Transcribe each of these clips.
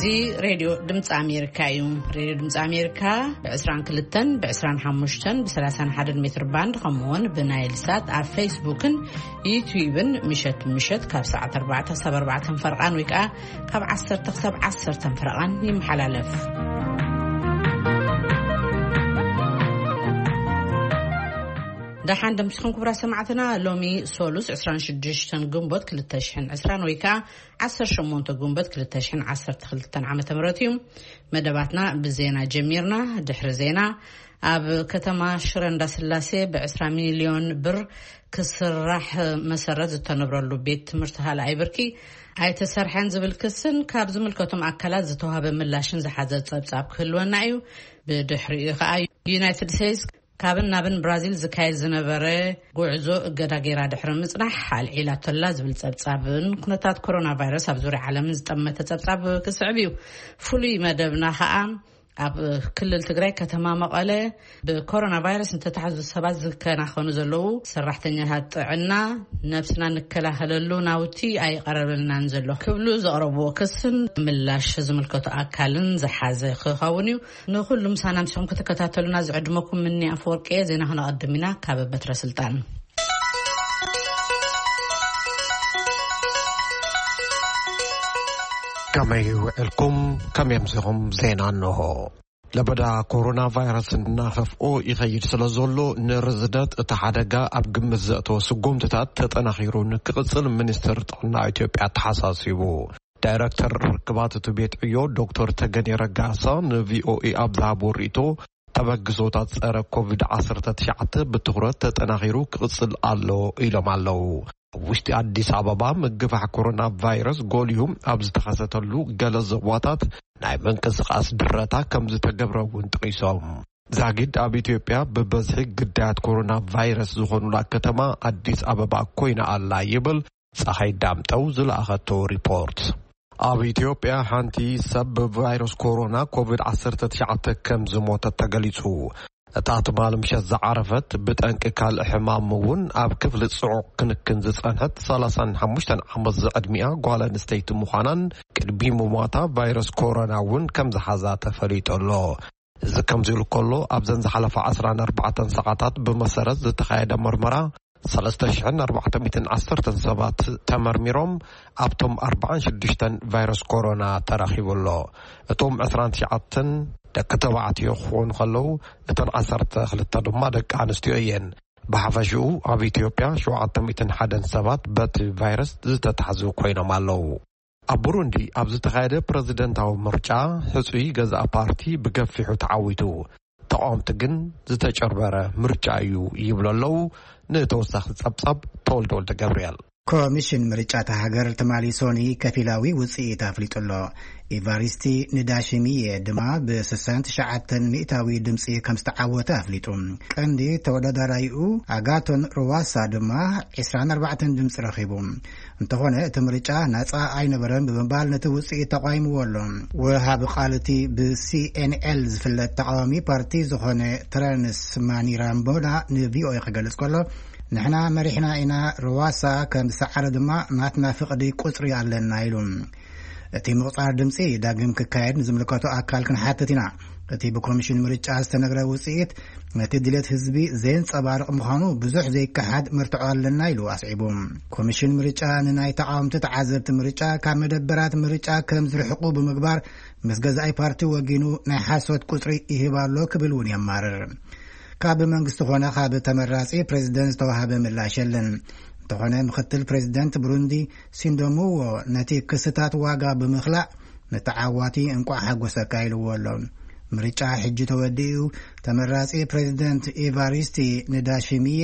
እዚ ሬድዮ ድምፂ ኣሜሪካ እዩ። ሬድዮ ድምፂ ኣሜሪካ ብ22፣ ብ25፣ ብ31 ሜትር ባንድ፣ ከምኡውን ብናይል ሳት ኣብ ፌስቡክን ዩትዩብን ምሸት ምሸት ካብ ሰዓት ኣርባዕተ ክሳብ ኣርባዕተ ፈረቓን ወይ ከዓ ካብ ዓሰርተ ክሳብ ዓሰርተ ፈረቓን ይመሓላለፍ። ደሓን ደምሲኹም ክቡራት ሰማዕትና። ሎሚ ሶሉስ ዕስራን ሽዱሽተን ግንቦት ክልተ ሽሕን ዕስራን ወይ ከዓ ዓሰርተ ሸሞንተ ግንቦት ክልተ ሽሕን ዓሰርተ ክልተን ዓመተ ምህረት እዩ። መደባትና ብዜና ጀሚርና። ድሕሪ ዜና፣ ኣብ ከተማ ሽረ እንዳስላሴ ብ20 ሚልዮን ብር ክስራሕ መሰረት ዝተነብረሉ ቤት ትምህርቲ ካልኣይ ብርኪ ኣይተሰርሐን ዝብል ክስን ካብ ዝምልከቶም ኣካላት ዝተዋህበ ምላሽን ዝሓዘ ጸብጻብ ክህልወና እዩ። ብድሕሪኡ ከኣ ዩናይትድ ስቴትስ ካብን ናብን ብራዚል ዝካየድ ዝነበረ ጉዕዞ እገዳ ገይራ ድሕሪ ምጽናሕ ኣልዒላቶላ ዝብል ጸብጻብን ኩነታት ኮሮና ቫይረስ ኣብ ዙርያ ዓለምን ዝጠመተ ጸብጻብ ክስዕብ እዩ። ፍሉይ መደብና ከኣ ኣብ ክልል ትግራይ ከተማ መቐለ ብኮሮና ቫይረስ እንተተሓዙ ሰባት ዝከናኸኑ ዘለዉ ሰራሕተኛታት ጥዕና ነብስና ንከላኸለሉ ናውቲ ኣይቐረበልናን ዘሎ ክብሉ ዘቕረብዎ ክስን ምላሽ ዝምልከቱ ኣካልን ዝሓዘ ክኸውን እዩ። ንኹሉ ምሳና ምስኹም ክትከታተሉና ዝዕድመኩም ምኒ ኣፈወርቂ እየ። ዜና ክነቐድም ኢና ካብ በትረ ስልጣን። ከመይ ውዕልኩም? ከመይ ኣምሲኹም? ዜና እንሆ። ለበዳ ኮሮና ቫይረስ እናኸፍኦ ይኸይድ ስለ ዘሎ፣ ንርዝነት እቲ ሓደጋ ኣብ ግምት ዘእተወ ስጉምትታት ተጠናኺሩ ንክቕጽል ሚኒስትር ጥዕና ኢትዮጵያ ኣተሓሳሲቡ። ዳይረክተር ርክባት እቲ ቤት ዕዮ ዶክተር ተገኔ ረጋሳ ንቪኦኤ ኣብ ዝሃቦ ርእይቶ፣ ተበግሶታት ጸረ ኮቪድ-19 ብትኹረት ተጠናኺሩ ክቕጽል ኣሎ ኢሎም ኣለዉ። ኣብ ውሽጢ ኣዲስ ኣበባ ምግፋሕ ኮሮና ቫይረስ ጎሊሁ ኣብ ዝተኸሰተሉ ገለ ዞባታት ናይ ምንቅስቓስ ድረታ ከም ዝተገብረ እውን ጠቒሶም። ዛጊድ ኣብ ኢትዮጵያ ብበዝሒ ግዳያት ኮሮና ቫይረስ ዝኾኑላ ከተማ ኣዲስ ኣበባ ኮይና ኣላ ይብል ጸሓይ ዳምጠው ዝለኣኸቶ ሪፖርት። ኣብ ኢትዮጵያ ሓንቲ ሰብ ብቫይረስ ኮሮና ኮቪድ-19 ከም ዝሞተት ተገሊጹ። እታ ትማሊ ምሸት ዝዓረፈት ብጠንቂ ካልእ ሕማም እውን ኣብ ክፍሊ ጽዑቕ ክንክን ዝጸንሐት 35 ዓመት ዝዕድሚኣ ጓል ኣንስተይቲ ምዃናን ቅድሚ ምሟታ ቫይረስ ኮሮና እውን ከም ዝሓዛ ተፈሊጡ ኣሎ። እዚ ከምዚ ኢሉ ከሎ፣ ኣብዘን ዝሓለፋ 14 ሰዓታት ብመሰረት ዝተኻየደ መርመራ 3,410 ሰባት ተመርሚሮም፣ ኣብቶም ኣርባዓን ሽዱሽተን ቫይረስ ኮሮና ተረኺቡ ኣሎ። እቶም ዕስራን ትሽዓተን ደቂ ተባዕትዮ ክኾኑ ከለዉ፣ እተን ዓሰርተ ክልተ ድማ ደቂ ኣንስትዮ እየን። ብሓፈሽኡ ኣብ ኢትዮጵያ ሸውዓተ ሚእትን ሓደን ሰባት በቲ ቫይረስ ዝተታሕዙ ኮይኖም ኣለዉ። ኣብ ቡሩንዲ ኣብ ዝተኻየደ ፕረዚደንታዊ ምርጫ፣ ሕጹይ ገዛኢ ፓርቲ ብገፊሑ ተዓዊቱ። ተቓወምቲ ግን ዝተጨርበረ ምርጫ እዩ ይብሉ ኣለዉ። ንተወሳኺ ጸብጻብ፣ ተወልደ ወልደ ገብርኤል። ኮሚሽን ምርጫ እታ ሃገር ትማሊ ሶኒ ከፊላዊ ውጽኢት ኣፍሊጡ ኣሎ። ኢቫሪስቲ ንዳሽሚየ ድማ ብ69% ድምጺ ከም ዝተዓወተ ኣፍሊጡ። ቀንዲ ተወዳዳራይኡ ኣጋቶን ሩዋሳ ድማ 24 ድምጺ ረኺቡ። እንተኾነ እቲ ምርጫ ናጻ ኣይነበረን ብምባል ነቲ ውጽኢት ተቓይምዎ ኣሎ። ወሃቢ ቃል እቲ ብ C N L ዝፍለጥ ተቓዋሚ ፓርቲ ዝኾነ ትራንስ ማኒራምቦና ን V O A ክገልጽ ከሎ፣ "ንሕና መሪሕና ኢና፣ ሩዋሳ ከም ዝሰዓረ ድማ ናትና ፍቕዲ ቁጽሪ ኣለና" ኢሉ። እቲ ምቑጻር ድምጺ ዳግም ክካየድ ንዝምልከቶ ኣካል ክንሓትት ኢና። እቲ ብኮሚሽን ምርጫ ዝተነግረ ውጽኢት ነቲ ድሌት ህዝቢ ዘየንጸባርቕ ምዃኑ ብዙሕ ዘይከሓድ መርትዖ ኣለና ኢሉ ኣስዒቡ። ኮሚሽን ምርጫ ንናይ ተቓወምቲ ተዓዘብቲ ምርጫ ካብ መደበራት ምርጫ ከም ዝርሕቁ ብምግባር፣ ምስ ገዛኢ ፓርቲ ወጊኑ ናይ ሓሶት ቁጽሪ ይህብ ኣሎ ክብል እውን የማርር። ካብ መንግስቲ ኾነ ካብ ተመራጺ ፕሬዚደንት ዝተዋሃበ ምላሽ የለን። እንተኾነ፣ ምኽትል ፕሬዚደንት ብሩንዲ ሲንዶምዎ ነቲ ክስታት ዋጋ ብምኽላእ፣ ንተዓዋቲ እንቋዕ ሓጎሰካ ኢልዎ ኣሎ። ምርጫ ሕጂ ተወዲኡ፣ ተመራጺ ፕሬዚደንት ኢቫሪስቲ ንዳሽሚየ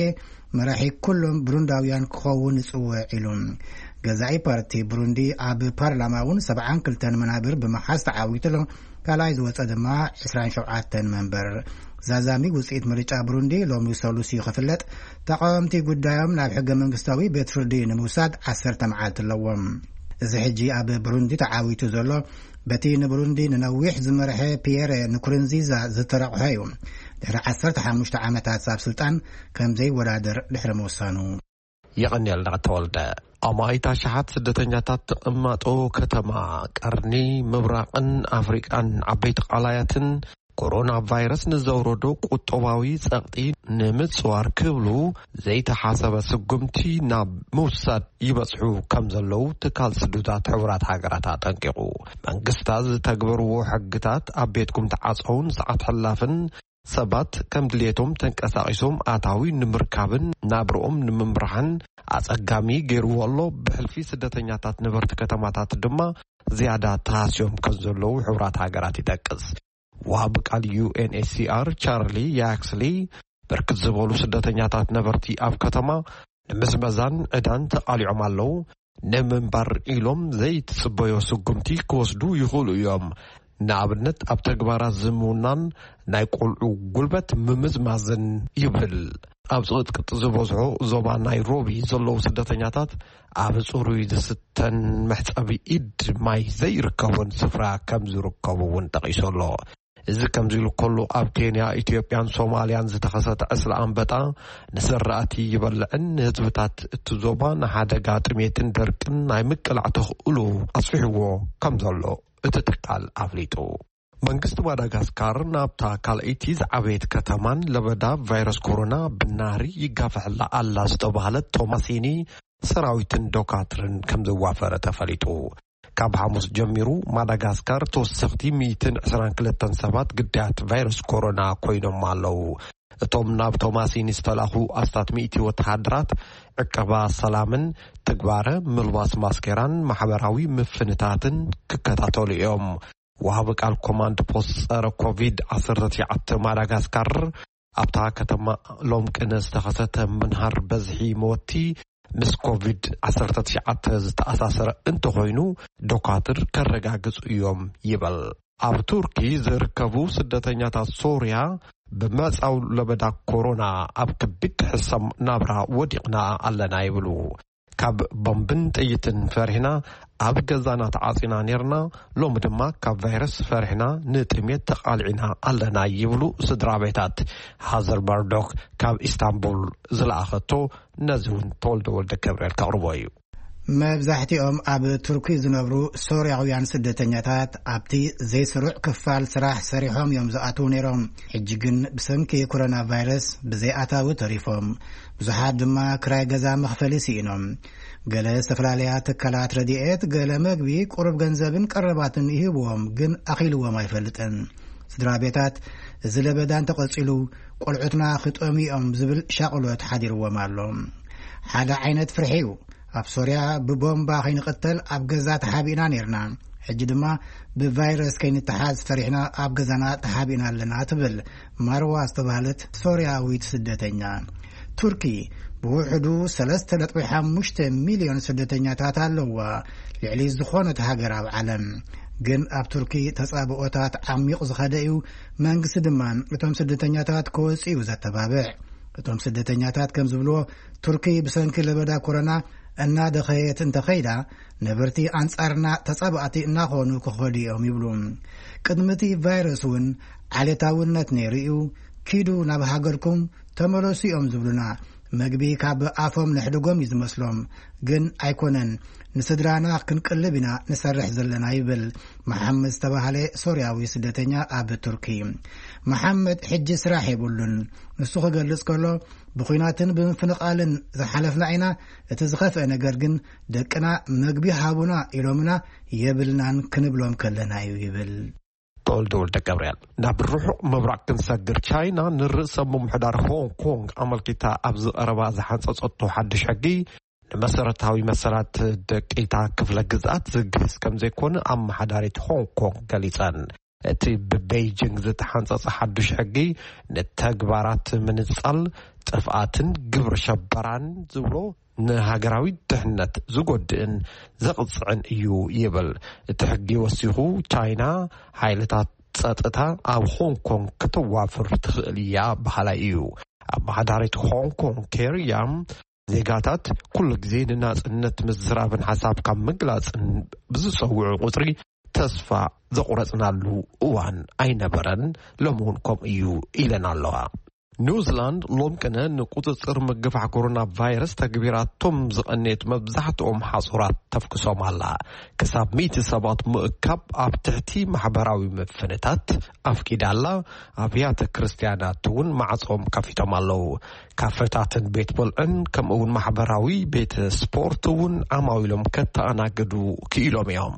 መራሒ ኩሎም ብሩንዳውያን ክኸውን ይጽውዕ ኢሉ። ገዛኢ ፓርቲ ብሩንዲ ኣብ ፓርላማ እውን 72 መናብር ብምሓዝ ተዓዊቱ ኣሎ። ካልኣይ ዝወጸ ድማ 27 መንበር። ዛዛሚ ውጽኢት ምርጫ ብሩንዲ ሎሚ ሰሉስ እዩ ክፍለጥ። ተቃወምቲ ጉዳዮም ናብ ሕገ መንግስታዊ ቤት ፍርዲ ንምውሳድ 10 መዓልቲ ኣለዎም። እዚ ሕጂ ኣብ ብሩንዲ ተዓዊቱ ዘሎ በቲ ንብሩንዲ ንነዊሕ ዝመርሐ ፒየረ ንኩሩንዚዛ ዝተረቑሐ እዩ። ድሕሪ 15 ዓመታት ኣብ ስልጣን ከም ዘይወዳደር ድሕሪ ምውሳኑ። የቐንየልና ተወልደ። ኣማኢት ኣሽሓት ስደተኛታት ትቕመጦ ከተማ ቀርኒ ምብራቕን ኣፍሪቃን ዓበይቲ ቃላያትን፣ ኮሮና ቫይረስ ንዘውረዶ ቁጠባዊ ጸቕጢ ንምጽዋር ክብሉ ዘይተሓሰበ ስጉምቲ ናብ ምውሳድ ይበጽሑ ከም ዘለዉ ትካል ስዱታት ሕቡራት ሃገራት ኣጠንቂቑ። መንግስታት ዝተግበርዎ ሕግታት ኣብ ቤትኩም ተዓጸውን ሰዓት ሕላፍን ሰባት ከም ድሌቶም ተንቀሳቒሶም ኣታዊ ንምርካብን ናብርኦም ንምምራሕን ኣጸጋሚ ገይርዎ ኣሎ። ብሕልፊ ስደተኛታት ነበርቲ ከተማታት ድማ ዝያዳ ተሃስዮም ከም ዘለዉ ሕቡራት ሃገራት ይጠቅስ። ወሃቢ ቃል ዩ ኤን ኤች ሲ ኣር ቻርሊ ያክስሊ፣ ብርክት ዝበሉ ስደተኛታት ነበርቲ ኣብ ከተማ ንምዝመዛን ዕዳን ተቓሊዖም ኣለዉ። ንምንባር ኢሎም ዘይትጽበዮ ስጉምቲ ክወስዱ ይኽእሉ እዮም። ንኣብነት ኣብ ተግባራት ዝምውናን ናይ ቆልዑ ጉልበት ምምዝማዝን ይብል። ኣብ ጽቕጥቅጥ ዝበዝሖ ዞባ ናይሮቢ ዘለዉ ስደተኛታት ኣብ ጽሩይ ዝስተን መሕጸቢ ኢድ ማይ ዘይርከቦን ስፍራ ከም ዝርከቡ እውን ጠቒሱ ኣሎ። እዚ ከምዚ ኢሉ ከሎ፣ ኣብ ኬንያ፣ ኢትዮጵያን ሶማልያን ዝተኸሰተ ዕስለ ኣንበጣ ንዘራእቲ ይበልዕን ንህዝብታት እቲ ዞባ ንሓደጋ ጥሜትን ደርቅን ናይ ምቅላዕ ተኽእሎ ኣስፊሕዎ ከም ዘሎ እቲ ትካል ኣፍሊጡ። መንግስቲ ማዳጋስካር ናብታ ካልኣይቲ ዝዓበየት ከተማን ለበዳ ቫይረስ ኮሮና ብናህሪ ይጋፍሐላ ኣላ ዝተባህለት ቶማሲኒ ሰራዊትን ዶካትርን ከም ዘዋፈረ ተፈሊጡ። ካብ ሓሙስ ጀሚሩ ማዳጋስካር ተወሰኽቲ ሚእትን ዕስራን ክልተን ሰባት ግዳያት ቫይረስ ኮሮና ኮይኖም ኣለዉ። እቶም ናብ ቶማሲኒ ዝተላኹ ኣስታት ሚእቲ ወተሃደራት ዕቀባ ሰላምን ትግባረ ምልባስ ማስኬራን ማሕበራዊ ምፍንታትን ክከታተሉ እዮም። ወሃቢ ቃል ኮማንድ ፖስት ጸረ ኮቪድ ዓሰርተ ትሽዓተ ማዳጋስካር፣ ኣብታ ከተማ ሎም ቅነ ዝተኸሰተ ምንሃር በዝሒ መወቲ ምስ ኮቪድ ዓሰርተ ትሽዓተ ዝተኣሳሰረ እንተኾይኑ፣ ዶካትር ከረጋግጹ እዮም ይበል። ኣብ ቱርኪ ዝርከቡ ስደተኛታት ሶርያ ብመጻው ለበዳ ኮሮና ኣብ ከቢድ ሕሰም ናብራ ወዲቕና ኣለና ይብሉ። ካብ ቦምብን ጥይትን ፈሪሕና ኣብ ገዛና ተዓጺና ኔርና፣ ሎሚ ድማ ካብ ቫይረስ ፈሪሕና ንጥሜት ተቓሊዕና ኣለና ይብሉ ስድራ ቤታት። ሃዘር መርዶክ ካብ ኢስታንቡል ዝለኣኸቶ፣ ነዚ እውን ተወልደ ወልደ ገብርኤል ከቕርቦ እዩ። መብዛሕትኦም ኣብ ቱርኪ ዝነብሩ ሶርያውያን ስደተኛታት ኣብቲ ዘይስሩዕ ክፋል ስራሕ ሰሪሖም እዮም ዝኣትዉ ነይሮም። ሕጂ ግን ብሰንኪ ኮሮና ቫይረስ ብዘይኣታዊ ተሪፎም። ብዙሓት ድማ ክራይ ገዛ መኽፈሊ ስኢኖም። ገለ ዝተፈላለያ ትካላት ረድኤት ገለ መግቢ፣ ቁሩብ ገንዘብን ቀረባትን ይህብዎም፣ ግን ኣኺልዎም ኣይፈልጥን። ስድራ ቤታት፣ እዚ ለበዳ እንተቐጺሉ ቆልዑትና ክጠምዮም ዝብል ሻቕሎት ሓዲርዎም ኣሎ። ሓደ ዓይነት ፍርሒ እዩ። ኣብ ሶርያ ብቦምባ ከይንቕተል ኣብ ገዛ ተሓቢእና ነይርና። ሕጂ ድማ ብቫይረስ ከይንተሓዝ ፈሪሕና ኣብ ገዛና ተሓቢእና ኣለና፣ ትብል ማርዋ ዝተባህለት ሶርያዊት ስደተኛ። ቱርኪ ብውሕዱ ሰለስተ ነጥቢ ሓሙሽተ ሚልዮን ስደተኛታት ኣለዋ፣ ልዕሊ ዝኾነት ሃገር ኣብ ዓለም። ግን ኣብ ቱርኪ ተጻብኦታት ዓሚቕ ዝኸደ እዩ። መንግስቲ ድማ እቶም ስደተኛታት ክወጽኡ እዩ ዘተባብዕ። እቶም ስደተኛታት ከም ዝብልዎ፣ ቱርኪ ብሰንኪ ለበዳ ኮሮና እናደኸየት እንተኸይዳ፣ ነበርቲ ኣንጻርና ተጻባእቲ እናኾኑ ክኸዱ እዮም ይብሉ። ቅድሚ እቲ ቫይረስ እውን ዓሌታውነት ነይሩ እዩ። ኪዱ ናብ ሃገርኩም ተመለሱ እዮም ዝብሉና። መግቢ ካብ ኣፎም ነሕድጎም እዩ ዝመስሎም። ግን ኣይኮነን፣ ንስድራና ክንቅልብ ኢና ንሰርሕ ዘለና ይብል መሓመድ ዝተባህለ ሶርያዊ ስደተኛ ኣብ ቱርኪ። መሓመድ ሕጂ ስራሕ የብሉን። ንሱ ክገልጽ ከሎ፣ ብኹናትን ብምፍንቓልን ዝሓለፍና ኢና። እቲ ዝኸፍአ ነገር ግን ደቅና መግቢ ሃቡና ኢሎምና የብልናን ክንብሎም ከለና እዩ ይብል። ተወልደ ወልደ ገብርኤል። ናብ ርሑቕ ምብራቕ ክንሰግር፣ ቻይና ንርእሰ ምምሕዳር ሆንግ ኮንግ ኣመልኪታ ኣብ ዝቐረባ ዝሓንጸጸቶ ሓድሽ ሕጊ፣ ንመሰረታዊ መሰላት ደቂታ ክፍለ ግዝኣት ዝግህስ ከም ዘይኮነ ኣመሓዳሪት ሆንግ ኮንግ ገሊጸን። እቲ ብቤይጂንግ ዝተሓንጸጸ ሓድሽ ሕጊ፣ ንተግባራት ምንጻል፣ ጥፍኣትን ግብሪ ሸበራን ዝብሎ፣ ንሃገራዊ ድሕነት ዝጎድእን ዘቕጽዕን እዩ ይብል። እቲ ሕጊ ወሲኹ፣ ቻይና ሓይልታት ጸጥታ ኣብ ሆንግ ኮንግ ከተዋፍር ትኽእል እያ በሃላይ እዩ። ኣመሓዳሪት ሆንግ ኮንግ ኬሪ ያም፣ ዜጋታት ኩሉ ግዜ ንናጽነት ምዝራብን ሓሳብካ ምግላጽን ብዝጸውዑ ቁጽሪ፣ ተስፋ ዘቑረጽናሉ እዋን ኣይነበረን፣ ሎሚ እውን ከምኡ እዩ ኢለን ኣለዋ። ኒውዚላንድ ሎም ቅነ ንቁጽጽር ምግፋሕ ኮሮና ቫይረስ ተግቢራቶም ዝቐነየት መብዛሕትኦም ሓጹራት ተፍክሶም ኣላ። ክሳብ ሚእቲ ሰባት ምእካብ ኣብ ትሕቲ ማሕበራዊ ምፍንታት ኣፍቂዳ ኣላ። ኣብያተ ክርስትያናት እውን ማዕጾም ከፊቶም ኣለዉ። ካፈታትን ቤት ብልዕን ከምኡ እውን ማሕበራዊ ቤት ስፖርት እውን ዓማዊሎም ከተኣናግዱ ክኢሎም እዮም።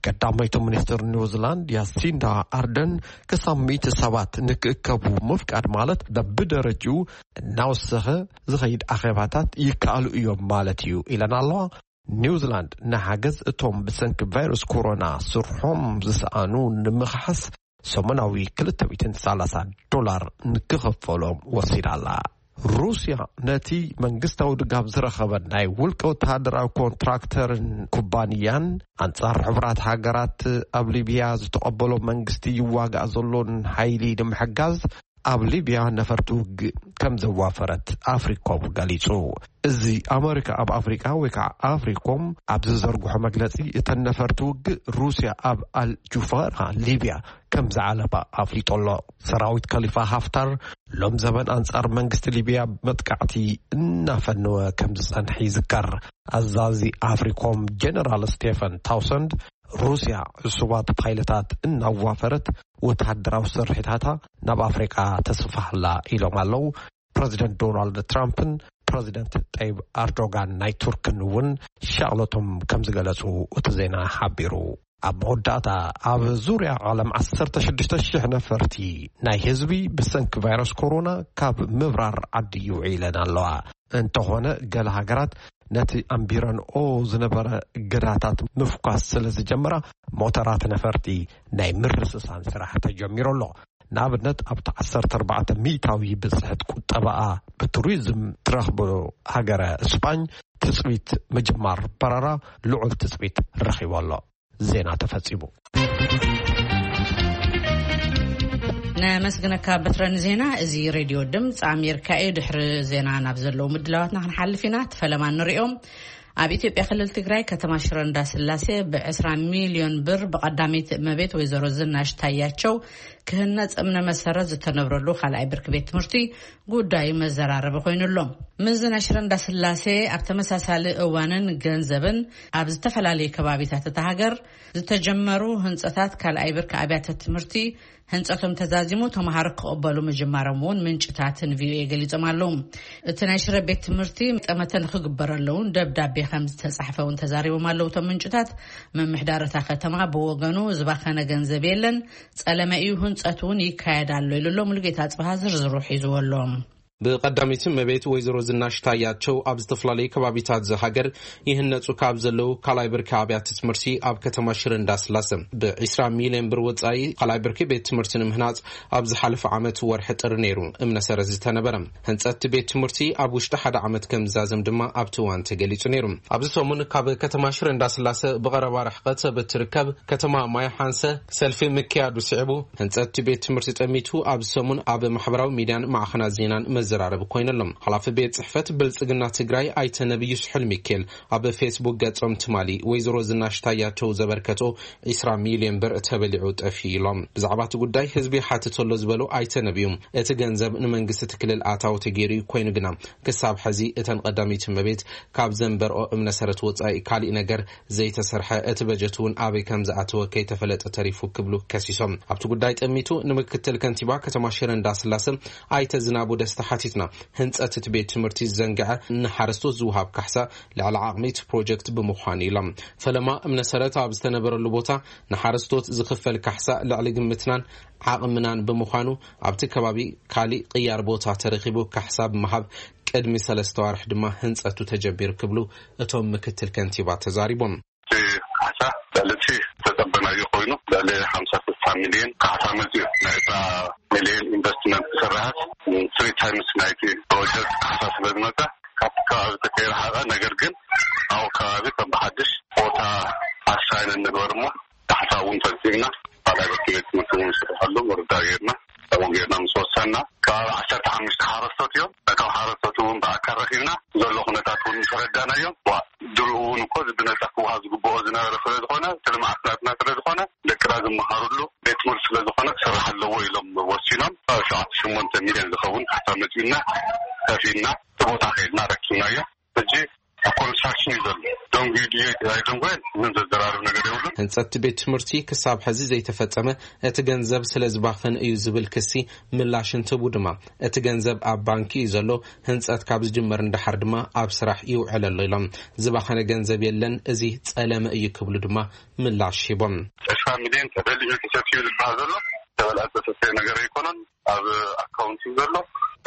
ቀዳመይቲ ሚኒስትር ኒውዚላንድ ያሲንዳ ኣርደን ክሳብ ሚእቲ ሰባት ንክእከቡ ምፍቃድ ማለት በብደረጅኡ እናወሰኸ ዝኸይድ ኣኼባታት ይከኣሉ እዮም ማለት እዩ ኢለን ኣለዋ። ኒውዚላንድ ንሓገዝ እቶም ብሰንኪ ቫይረስ ኮሮና ስርሖም ዝሰኣኑ ንምኽሓስ ሰሙናዊ ክልተ ሚእትን ሰላሳ ዶላር ንክኸፈሎም ወሲዳ ኣላ። ሩስያ ነቲ መንግስታዊ ድጋፍ ዝረኸበ ናይ ውልቀ ወተሃደራዊ ኮንትራክተርን ኩባንያን ኣንጻር ሕቡራት ሃገራት ኣብ ሊብያ ዝተቐበሎ መንግስቲ ይዋጋእ ዘሎን ሓይሊ ንምሕጋዝ ኣብ ሊብያ ነፈርቲ ውግእ ከም ዘዋፈረት ኣፍሪኮም ገሊጹ። እዚ ኣመሪካ ኣብ ኣፍሪቃ ወይ ከዓ ኣፍሪኮም ኣብ ዝዘርግሖ መግለጺ፣ እተን ነፈርቲ ውግእ ሩስያ ኣብ ኣልጁፋራ ሊብያ ከም ዝዓለባ ኣፍሊጡ ኣሎ። ሰራዊት ከሊፋ ሃፍታር ሎም ዘበን ኣንጻር መንግስቲ ሊብያ መጥቃዕቲ እናፈነወ ከም ዝጸንሐ ይዝከር። ኣዛዚ ኣፍሪኮም ጀነራል ስቴፈን ታውሰንድ ሩስያ ዕሱባት ፓይለታት እናዋፈረት ወተሃደራዊ ስርሒታታ ናብ ኣፍሪቃ ተስፋሕላ ኢሎም ኣለዉ። ፕረዚደንት ዶናልድ ትራምፕን ፕረዚደንት ጠይብ ኣርዶጋን ናይ ቱርክን እውን ሻቕሎቶም ከም ዝገለጹ እቲ ዜና ሓቢሩ። ኣብ መወዳእታ፣ ኣብ ዙርያ ዓለም ዓሰርተ ሽዱሽተ ሽሕ ነፈርቲ ናይ ህዝቢ ብሰንኪ ቫይረስ ኮሮና ካብ ምብራር ዓዲ ይውዒለን ኣለዋ። እንተኾነ፣ ገለ ሃገራት ነቲ ኣንቢረንኦ ዝነበረ እገዳታት ምፍኳስ ስለ ዝጀመራ፣ ሞተራት ነፈርቲ ናይ ምርስሳን ስራሕ ተጀሚሩ ኣሎ። ንኣብነት፣ ኣብቲ ዓሰርተ ኣርባዕተ ሚእታዊ ብጽሕት ቁጠባኣ ብቱሪዝም ትረኽቦ ሃገረ ስጳኝ ትጽቢት ምጅማር በረራ ልዑል ትጽቢት ረኺቡ ኣሎ። ዜና ተፈጺሙ። ነመስግነካ በትረን ዜና። እዚ ሬድዮ ድምፂ ኣሜሪካ እዩ። ድሕሪ ዜና ናብ ዘለዉ ምድላዋትና ክንሓልፍ ኢና። እቲ ፈለማ ንሪኦም። ኣብ ኢትዮጵያ ክልል ትግራይ ከተማ ሽረ እንዳስላሴ ብ ዕስራ ሚልዮን ብር ብቀዳመይቲ እመቤት ወይዘሮ ዝናሽ ታያቸው ክህነፅ እምነ መሰረት ዝተነብረሉ ካልኣይ ብርኪ ቤት ትምህርቲ ጉዳዩ መዘራረቢ ኮይኑ ኣሎ። ምዝና ሽረ እንዳስላሴ ኣብ ተመሳሳሊ እዋንን ገንዘብን ኣብ ዝተፈላለዩ ከባቢታት እታ ሃገር ዝተጀመሩ ህንፀታት ካልኣይ ብርኪ ኣብያተ ትምህርቲ ህንፀቶም ተዛዚሙ ተምሃሮ ክቕበሉ ምጅማሮም እውን ምንጭታት ንቪኦኤ ገሊጾም ኣለዉ። እቲ ናይ ሽረ ቤት ትምህርቲ ጠመተ ንክግበረሉ እውን ደብዳቤ ከም ዝተጻሕፈ እውን ተዛሪቦም ኣለዉ። እቶም ምንጭታት፣ ምምሕዳር እታ ከተማ ብወገኑ ዝባኸነ ገንዘብ የለን፣ ጸለመ እዩ፣ ህንጸት እውን ይካየድ ኣሎ ኢሉ ኣሎ። ሙሉጌታ ኣጽብሃ ዝርዝሩ ሒዝዎ ኣሎ። ብቐዳመይቲ እመቤት ወይዘሮ ዝናሽ ታያቸው ኣብ ዝተፈላለዩ ከባቢታት ዝሃገር ይህነጹ ካብ ዘለዉ ካልኣይ ብርኪ ኣብያተ ትምህርቲ ኣብ ከተማ ሽረ እንዳስላሰ ብዒስራ ሚልዮን ብር ወጻኢ ካልኣይ ብርኪ ቤት ትምህርቲ ንምህናጽ ኣብ ዝሓለፈ ዓመት ወርሒ ጥሪ ነይሩ እምነ ሰረት ዝተነበረ። ህንጸት ቤት ትምህርቲ ኣብ ውሽጢ ሓደ ዓመት ከም ዝዛዘም ድማ ኣብቲ እዋን ተገሊጹ ነይሩ። ኣብዚ ሰሙን ካብ ከተማ ሽረ እንዳስላሰ ብቐረባ ርሕቀት ብትርከብ ከተማ ማይ ሓንሰ ሰልፊ ምክያዱ ስዒቡ፣ ህንጸት ቤት ትምህርቲ ጠሚቱ ኣብዚ ሰሙን ኣብ ማሕበራዊ ሚድያን ማዕኸናት ዜናን መዘራረቢ ኮይኑ ኣሎ። ሓላፊ ቤት ጽሕፈት ብልጽግና ትግራይ ኣይተ ነብዩ ስሑል ሚካኤል ኣብ ፌስቡክ ገጾም ትማሊ ወይዘሮ ዝናሽ ታያቸው ዘበርከቶ ዒስራ ሚልዮን ብር ተበሊዑ ጠፊኡ ኢሎም። ብዛዕባ እቲ ጉዳይ ህዝቢ ይሓትት ኣሎ ዝበሉ ኣይተ ነብዩ፣ እቲ ገንዘብ ንመንግስቲ እቲ ክልል ኣታዊ ተገይሩ እዩ፣ ኮይኑ ግና ክሳብ ሕዚ እተን ቀዳመይቲ እመቤት ካብ ዘንበርኦ እምነ ሰረት ወጻኢ ካሊእ ነገር ዘይተሰርሐ፣ እቲ በጀት እውን ኣበይ ከም ዝኣተወ ከይተፈለጠ ተሪፉ ክብሉ ከሲሶም። ኣብቲ ጉዳይ ጠሚቱ ንምክትል ከንቲባ ከተማ ሽረ እንዳስላሰ ኣይተ ዝናቡ ደስታ ሓቲትና፣ ህንጸት እቲ ቤት ትምህርቲ ዝዘንግዐ ንሓረስቶት ዝወሃብ ካሕሳ ልዕሊ ዓቕሚ እቲ ፕሮጀክት ብምዃኑ ኢሎም። ፈለማ እምነ ሰረት ኣብ ዝተነበረሉ ቦታ ንሓረስቶት ዝኽፈል ካሕሳ ልዕሊ ግምትናን ዓቕምናን ብምዃኑ ኣብቲ ከባቢ ካሊእ ቅያር ቦታ ተረኺቡ ካሕሳ ብምሃብ ቅድሚ ሰለስተ ዋርሕ ድማ ህንጸቱ ተጀሚሩ ክብሉ እቶም ምክትል ከንቲባ ተዛሪቦም። እቲ ካሕሳ ልዕሊ እቲ ዝተጸበናዮ ኮይኑ ልዕሊ ሓምሳ ስሳ ሚልዮን ካሕሳ መጽዩ። ናይ ዕስራ ሚልዮን ኢንቨስትመንት ዝስራሓት ትሪ ታይምስ ናይቲ ፕሮጀክት ካሕሳ ስለ ዝመጸ ካብቲ ከባቢ ተከይረሓቐ፣ ነገር ግን ኣብኡ ከባቢ ከም ብሓድሽ ቦታ ኣሳይን እንግበር እሞ ካሕሳ እውን ፈጺምና፣ ካልኣይ ቤት ትምህርቲ እውን ንስርሐሉ ምርዳእ ጌርና፣ ከምኡ ጌርና ምስ ወሰንና፣ ከባቢ ዓሰርተ ሓሙሽተ ሓረስቶት እዮም። ነቶም ሓረስቶት እውን ብኣካል ረኺብና፣ ዘሎ ኩነታት እውን ምስ ኣረዳእናዮም፣ ዋ፣ ድሮ እውን እኮ እዚ ብነጻ ክወሃብ ዝግብኦ ዝነበረ ስለ ዝኾነ፣ እቲ ልምዓት ናትና ስለ ዝኾነ፣ ደቅና ዝመሃሩሉ፣ ቤት ትምህርቲ ስለዝኾነ ክሰርሕ ኣለዎ ኢሎም ወሲኖም። ኣብ ሸውዓተ ሽሞንተ ሚልዮን ዝኸውን ካሕሳ መፂኡና፣ ከፊልና እቲ ቦታ ከይድና ረኪብናዮ። ሕጂ ኣብ ኮንስትራክሽን እዩ ዘሎ። ደንጉዩ ድዩ ኣይደንጎየን ምን ዘዘራርብ ነገር የብሉን። ህንፀት ቤት ትምህርቲ ክሳብ ሕዚ ዘይተፈጸመ፣ እቲ ገንዘብ ስለ ዝባኸን እዩ ዝብል ክሲ ምላሽ እንትህቡ ድማ፣ እቲ ገንዘብ ኣብ ባንኪ እዩ ዘሎ፣ ህንፀት ካብ ዝጅመር ንደሓር ድማ ኣብ ስራሕ ይውዕል ኣሎ ኢሎም። ዝባኸነ ገንዘብ የለን፣ እዚ ጸለመ እዩ ክብሉ ድማ ምላሽ ሂቦም። ዕስራ ሚልዮን ተበሊዑ ተሰትዩ ዝበሃል ዘሎ ተበልዐ ዝተሰተየ ነገር ኣይኮነን። ኣብ ኣካውንት እዩ ዘሎ።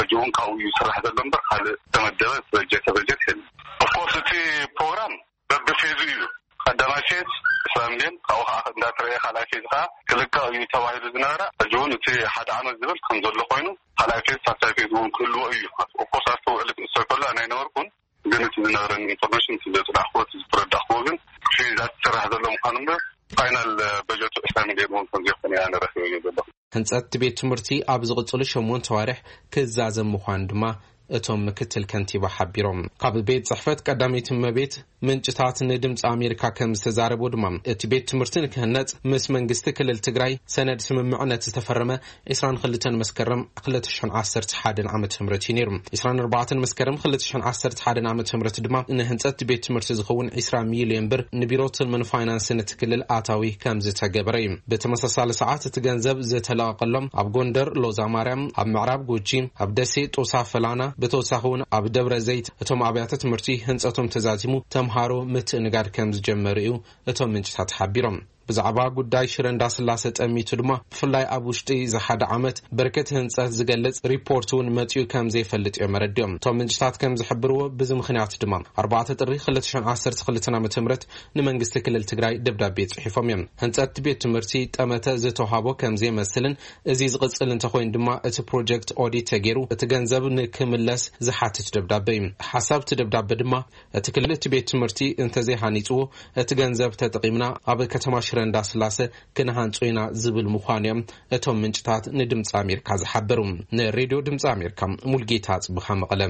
ሕጂ እውን ካብኡ እዩ ዝስራሕ ዘሎ እምበር ካልእ ተመደበ ዝበጀተ በጀት የለን። ኦፍኮርስ እቲ ፕሮግራም በብፌዙ እዩ። ቀዳማይ ፌዝ ዕስራ ሚልዮን፣ ካብኡ ከዓ እንዳተረየ ካልኣይ ፌዝ ከዓ ክልቀቕ እዩ ተባሂሉ ዝነበረ። ሕጂ እውን እቲ ሓደ ዓመት ዝብል ከም ዘሎ ኮይኑ፣ ካልኣይ ፌዝ ሳልሳይ ፌዝ እውን ክህልዎ እዩ። ኦፍኮርስ ኣብቲ ውዕሊ ክእሰር ከሎ ኣነ ኣይነበርኩን፣ ግን እቲ ዝነበረኒ ኢንፎርሜሽን፣ እቲ ዘፅናዕክዎ፣ እቲ ዝተረዳእክዎ ግን ፌዛት ዝስራሕ ዘሎ ምዃኑ እምበር ፋይናል በጀቱ ዕስራ ሚልዮን እውን ከም ዘይኮነ እየ ኣነ ረኺበዮ ዘለኹ። ህንጸት ቤት ትምህርቲ ኣብ ዝቕጽሉ ሸሞንተ ኣዋርሕ ክዛዘም ምዃኑ ድማ እቶም ምክትል ከንቲባ ሓቢሮም። ካብ ቤት ጽሕፈት ቀዳመይቲ እመቤት ምንጭታት ንድምፂ ኣሜሪካ ከም ዝተዛረቦ ድማ፣ እቲ ቤት ትምህርቲ ንክህነጽ ምስ መንግስቲ ክልል ትግራይ ሰነድ ስምምዕነት ዝተፈረመ ዕስራን ክልተን መስከረም ክልተ ሽሕን ዓሰርተ ሓደን ዓመተ ምህረት እዩ ነይሩ። ዕስራን ኣርባዕተን መስከረም ክልተ ሽሕን ዓሰርተ ሓደን ዓመተ ምህረት ድማ ንህንጸት ቤት ትምህርቲ ዝኸውን ዕስራ ሚልዮን ብር ንቢሮ ትልምን ፋይናንስን እቲ ክልል ኣታዊ ከም ዝተገበረ እዩ። ብተመሳሳሊ ሰዓት እቲ ገንዘብ ዝተለቐቀሎም ኣብ ጎንደር ሎዛ ማርያም፣ ኣብ ምዕራብ ጉጂ፣ ኣብ ደሴ ጦሳ ፈላና፣ ብተወሳኺ እውን ኣብ ደብረ ዘይት እቶም ኣብያተ ትምህርቲ ህንጸቶም ተዛዚሙ ተምሃሮ ምትእንጋድ ከም ዝጀመሩ እዩ እቶም ምንጭታት ሓቢሮም። ብዛዕባ ጉዳይ ሽረ እንዳስላሰ ጠሚቱ ድማ፣ ብፍላይ ኣብ ውሽጢ እዚ ሓደ ዓመት በርከት ህንጸት ዝገልጽ ሪፖርት እውን መጺኡ ከም ዘይፈልጥ እዮም ኣረዲኦም። እቶም ምንጭታት ከም ዝሕብርዎ፣ ብዚ ምኽንያት ድማ ኣርባዕተ ጥሪ ክልተ ሽሕን ዓሰርተ ክልተን ዓመተ ምህረት ንመንግስቲ ክልል ትግራይ ደብዳቤ ጽሒፎም እዮም። ህንጸት ቤት ትምህርቲ ጠመተ ዝተውሃቦ ከም ዘይመስልን፣ እዚ ዝቕጽል እንተኾይኑ ድማ እቲ ፕሮጀክት ኦዲት ተገይሩ እቲ ገንዘብ ንክምለስ ዝሓትት ደብዳበ እዩ። ሓሳብ እቲ ደብዳበ ድማ፣ እቲ ክልል እቲ ቤት ትምህርቲ እንተዘይሃኒጽዎ፣ እቲ ገንዘብ ተጠቒምና ኣብ ከተማ ሽረ እንዳስላሰ ክንሃንጾ ኢና ዝብል ምዃኑ እዮም እቶም ምንጭታት ንድምፂ ኣሜሪካ ዝሓበሩ። ንሬድዮ ድምፂ ኣሜሪካ ሙልጌታ ጽቡኻ መቐለ።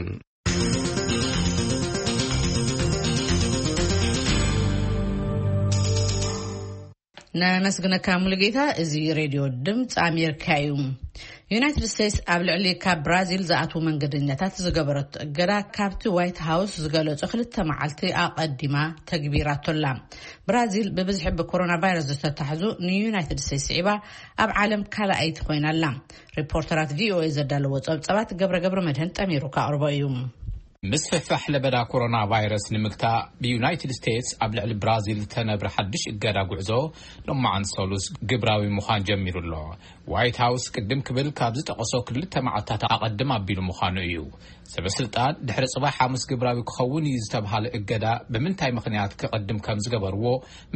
ነመስግነካ ሙሉጌታ። እዚ ሬድዮ ድምፂ ኣሜሪካ እዩ። ዩናይትድ ስቴትስ ኣብ ልዕሊ ካብ ብራዚል ዝኣትዉ መንገደኛታት ዝገበረቶ እገዳ፣ ካብቲ ዋይት ሃውስ ዝገለጾ ክልተ መዓልቲ ኣቐዲማ ተግቢራቶላ። ብራዚል ብብዝሒ ብኮሮና ቫይረስ ዝተታሕዙ ንዩናይትድ ስቴትስ ስዒባ ኣብ ዓለም ካልኣይቲ ኮይና ኣላ። ሪፖርተራት ቪኦኤ ዘዳለዎ ጸብጻባት ገብረ ገብረ መድህን ጠሚሩ ከቕርቦ እዩ። ምስፍሕፋሕ ለበዳ ኮሮና ቫይረስ ንምግታእ፣ ብዩናይትድ ስቴትስ ኣብ ልዕሊ ብራዚል ዝተነብረ ሓድሽ እገዳ ጉዕዞ ሎማዓንቲ ሰሉስ ግብራዊ ምዃን ጀሚሩ ኣሎ። ዋይት ሃውስ ቅድም ክብል ካብ ዝጠቐሶ ክልተ መዓልታት ኣቐድም ኣቢሉ ምዃኑ እዩ። ሰበ ስልጣን ድሕሪ ጽባሕ ሓሙስ ግብራዊ ክኸውን እዩ ዝተብሃለ እገዳ ብምንታይ ምኽንያት ክቐድም ከም ዝገበርዎ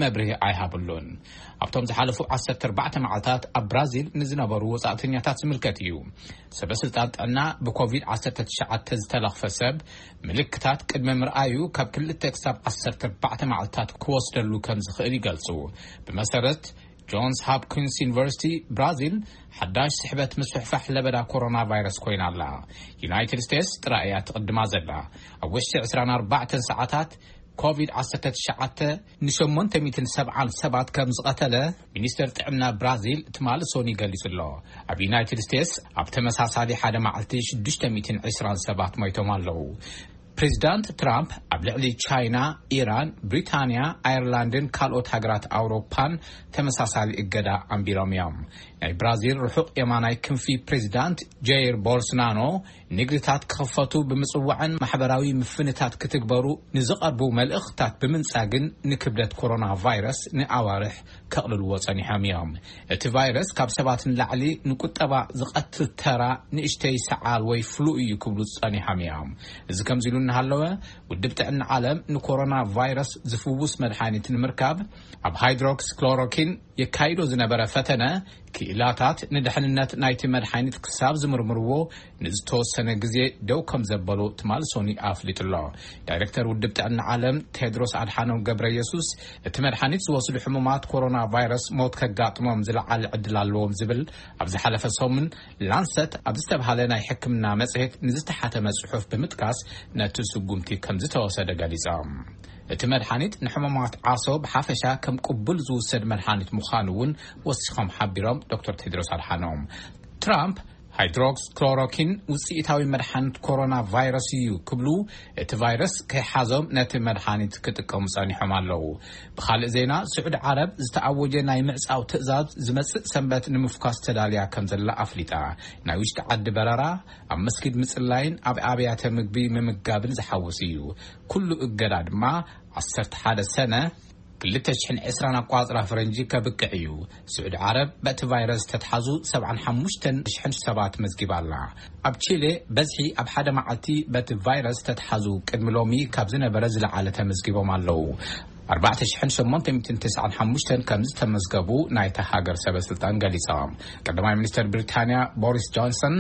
መብርሂ ኣይሃብሉን። ኣብቶም ዝሓለፉ ዓሰርተ ኣርባዕተ መዓልታት ኣብ ብራዚል ንዝነበሩ ወጻእተኛታት ዝምልከት እዩ። ሰበ ስልጣን ጥዕና ብኮቪድ ዓሰርተ ትሽዓተ ዝተለኽፈ ሰብ ምልክታት ቅድሚ ምርኣዩ ካብ ክልተ ክሳብ ዓሰርተ ኣርባዕተ መዓልታት ክወስደሉ ከም ዝኽእል ይገልጹ። ብመሰረት ጆንስ ሆፕኪንስ ዩኒቨርሲቲ፣ ብራዚል ሓዳሽ ስሕበት ምስፍሕፋሕ ለበዳ ኮሮና ቫይረስ ኮይና ኣላ። ዩናይትድ ስቴትስ ጥራይ እያ ትቕድማ ዘላ። ኣብ ውሽጢ ዕስራን ኣርባዕተን ሰዓታት ኮቪድ ዓሰርተ ትሽዓተ ንሸሞንተ ሚእትን ሰብዓን ሰባት ከም ዝቐተለ ሚኒስተር ጥዕና ብራዚል ትማሊ ሶኒ ገሊጹ ኣሎ። ኣብ ዩናይትድ ስቴትስ ኣብ ተመሳሳሊ ሓደ መዓልቲ ሽዱሽተ ሚእትን ዕስራን ሰባት ሞይቶም ኣለዉ። ፕሬዚዳንት ትራምፕ ኣብ ልዕሊ ቻይና፣ ኢራን፣ ብሪታንያ፣ ኣየርላንድን ካልኦት ሃገራት ኣውሮፓን ተመሳሳሊ እገዳ ኣንቢሮም እዮም። ናይ ብራዚል ርሑቕ የማናይ ክንፊ ፕሬዚዳንት ጀይር ቦልሶናሮ ንግድታት ክኽፈቱ ብምጽዋዕን ማሕበራዊ ምፍንታት ክትግበሩ ንዝቐርቡ መልእኽትታት ብምንጻግን ንክብደት ኮሮና ቫይረስ ንኣዋርሕ ከቕልልዎ ጸኒሖም እዮም። እቲ ቫይረስ ካብ ሰባት ንላዕሊ ንቁጠባ ዝቐትል ተራ ንእሽተይ ሰዓል ወይ ፍሉ እዩ ክብሉ ጸኒሖም እዮም። እዚ ከምዚ ኢሉ እናሃለወ፣ ውድብ ጥዕና ዓለም ንኮሮና ቫይረስ ዝፍውስ መድሓኒት ንምርካብ ኣብ ሃይድሮክስክሎሮኪን የካይዶ ዝነበረ ፈተነ፣ ክኢላታት ንድሕንነት ናይቲ መድሓኒት ክሳብ ዝምርምርዎ ንዝተወሰነ ግዜ ደው ከም ዘበሉ ትማሊ ሶኒ ኣፍሊጡ ኣሎ። ዳይሬክተር ውድብ ጥዕና ዓለም ቴድሮስ ኣድሓኖም ገብረ የሱስ፣ እቲ መድሓኒት ዝወስዱ ሕሙማት ኮሮና ቫይረስ ሞት ከጋጥሞም ዝለዓለ ዕድል ኣለዎም ዝብል ኣብ ዝሓለፈ ሰሙን ላንሰት ኣብ ዝተብሃለ ናይ ሕክምና መጽሔት ንዝተሓተመ ጽሑፍ ብምጥቃስ ነቲ ስጉምቲ ከም ዝተወሰደ ገሊጾም። እቲ መድሓኒት ንሕሙማት ዓሶ ብሓፈሻ ከም ቅቡል ዝውሰድ መድሓኒት ምዃኑ እውን ወሲኾም ሓቢሮም ዶክተር ቴድሮስ ኣድሓኖም። ትራምፕ ሃይድሮክስ ክሎሮኪን ውፅኢታዊ መድሓኒት ኮሮና ቫይረስ እዩ ክብሉ፣ እቲ ቫይረስ ከይሓዞም ነቲ መድሓኒት ክጥቀሙ ጸኒሖም ኣለዉ። ብኻልእ ዜና፣ ስዑዲ ዓረብ ዝተኣወጀ ናይ ምዕጻው ትእዛዝ ዝመጽእ ሰንበት ንምፍኳስ ተዳልያ ከም ዘላ ኣፍሊጣ። ናይ ውሽጢ ዓዲ በረራ፣ ኣብ መስጊድ ምጽላይን ኣብ ኣብያተ ምግቢ ምምጋብን ዝሓውስ እዩ። ኩሉ እገዳ ድማ ዓሰርተ ሓደ ሰነ ክልተ ሽሕን ዕስራን ኣቋጽራ ፈረንጂ ከብቅዕ እዩ። ስዑዲ ዓረብ በቲ ቫይረስ ተትሓዙ ሰብዓን ሓሙሽተን ሽሕን ሰባት መዝጊባ ኣላ። ኣብ ቺሌ በዝሒ ኣብ ሓደ መዓልቲ በቲ ቫይረስ ተትሓዙ ቅድሚ ሎሚ ካብ ዝነበረ ዝለዓለ ተመዝጊቦም ኣለዉ። ኣርባዕተ ሽሕን ሸሞንተ ሚእትን ተስዓን ሓሙሽተን ከም ዝተመዝገቡ ናይታ ሃገር ሰበ ስልጣን ገሊጾም። ቀዳማይ ሚኒስተር ብሪታንያ ቦሪስ ጆንሰን